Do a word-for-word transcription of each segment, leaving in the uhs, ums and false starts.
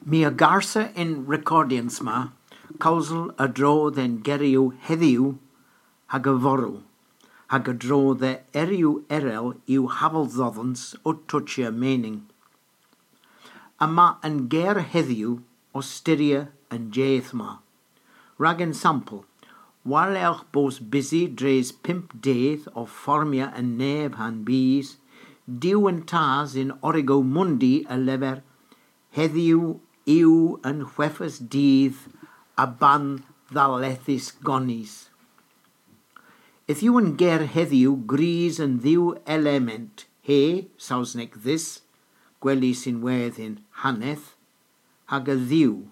My a garsa y'n rekordyans ma kewsel a-dro dhe'n geryow hedhyw hag yfory, hag a-dro dhe eryow erel yw haval dhodhans ow tochya mening. Yma an ger hedhyw ow styrya an jydh ma. Rag ensampel, war-lergh bos bysi dres pymp dydh ow formya an neb ha'n bys, Duw an Tas yn Origo Mundi a lever, hedhyw yw an hwethus dydh a ban dhallethys gonis. Yth yw an ger hedhyw gwrys an dhew element, he, Sowsnek this, gwelys ynwedh yn haneth, hag a Dhuw.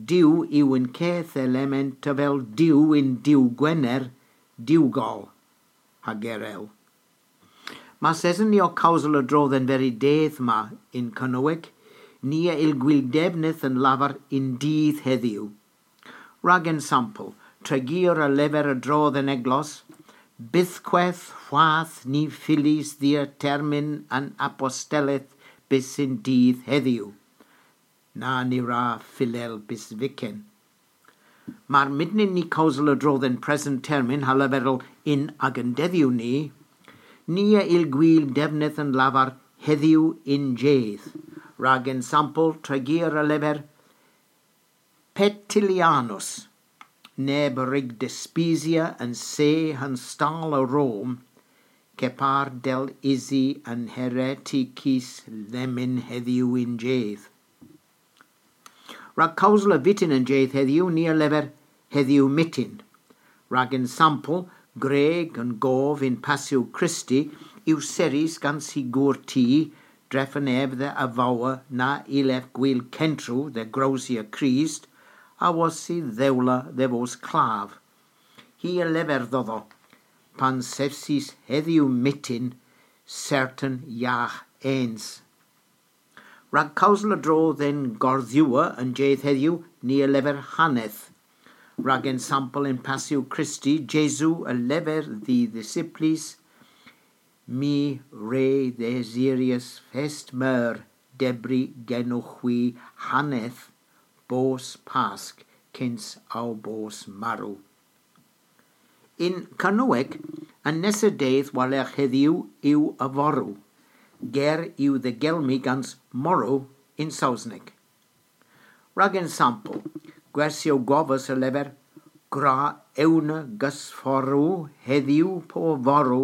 Duw yw an keth element avel Duw yn Duw Gwener, Duw Goll, hag erel. Mars esen ni ow kewsel a-dro dhe'n veri dydh ma yn Kernowek, ni a yll gul devnydh an lavar yn dydh hedhyw. Rag ensampel, Tregear a lever a-dro dhe'n eglos, bythkweth hwath ny fyllis dhia termyn an aposteleth bys yn dydh hedhyw. Na, ny wra fyllel bys vyken. Mar mynnyn ni kewsel a-dro dhe'n present termyn ha leverel yn agan dedhyow ni, ni a yll gul devnydh an lavar hedhyw yn jydh. Rag ensampel, Tregear a lever, Petillianus, neb a wrug dispisya an see ha'n stal a Rom, kepar dell ysi an heretikys lemmyn hedhyw yn jydh. Rag kewsel a vyttin an jydh hedhyw, ni a lever hedhyw myttin. Rag ensampel, gwreg an gov yn Passyow Krist yw serrys gans hy gour-ti, drefen ev dhe avowa na yllev gul kentrow dhe growsya Krist, awos y dhewla dhe vos klav. Hi a lever dhodho, pan sevsis hedhyw myttin sertan yagh ens. Rag kewsel a-dro dhe'n gardhywer an jydh hedhyw, ni a lever haneth. Rag ensampel, yn Passyow Krist, Jesu a lever dh'y dhisiplys, My re dhesiryas fest meur dybri genowgh hwi haneth bos Pask kyns ow bos marw. Yn Kernowek, an nessa dydh war-lergh hedhyw yw yfory. Ger yw dhe gelmi gans morrow yn Sowsnek. Rag ensampel, gwersyow govys a lever, gwra ewna gosfory hedhyw po yfory,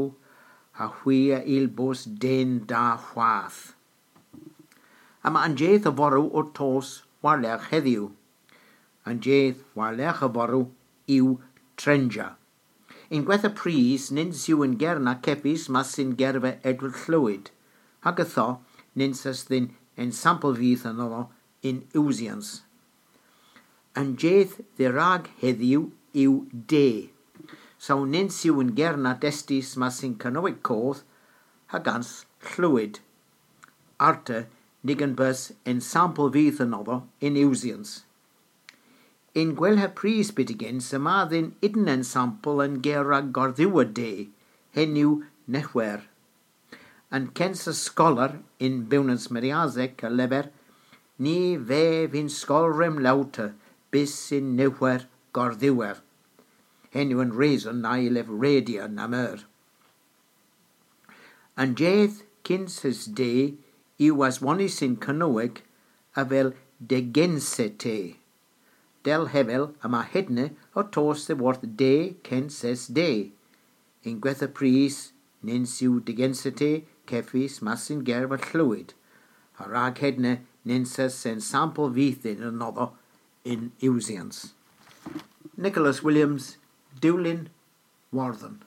ha hwi a yll bos den da hwath. Yma an jydh yfory ow tos war-lergh hedhyw. An jydh war-lergh yfory yw trenja. Yn gwettha prys, nyns yw an ger na kevys mas yn gerva Edward Llwyd, hag ytho, nyns eus dhyn ensampel vyth anodho yn usyans. An jydh dherag hedhyw yw de. So nyns yw an ger na destys mas yn Kernowek koth ha gans Llwyd. Arta, ny gyn bos ensampel vyth anodho yn usyans. Yn gwella prys byttegyns yma dhyn ynni ensampel an ger rag gardhywer de, henn yw nehwer. An kynsa skoller yn Bewnans Meriasek a lever, Ny vev yn skol remlowta bys yn nehwer gardhywer. Henn yw an reson na yllev redya na meur. An jydh kynsys de yw aswonnys yn Kernowek avel degensete. Dell hevel yma hedna ow tos dhyworth de kynsys de. Yn gwettha prys, nyns yw degensete kevys mas yn gerva Llwyd. Ha rag hedna nyns eus ensampel vyth dhyn anodho yn usyans. Nicholas Williams, Dulyn Wardhen.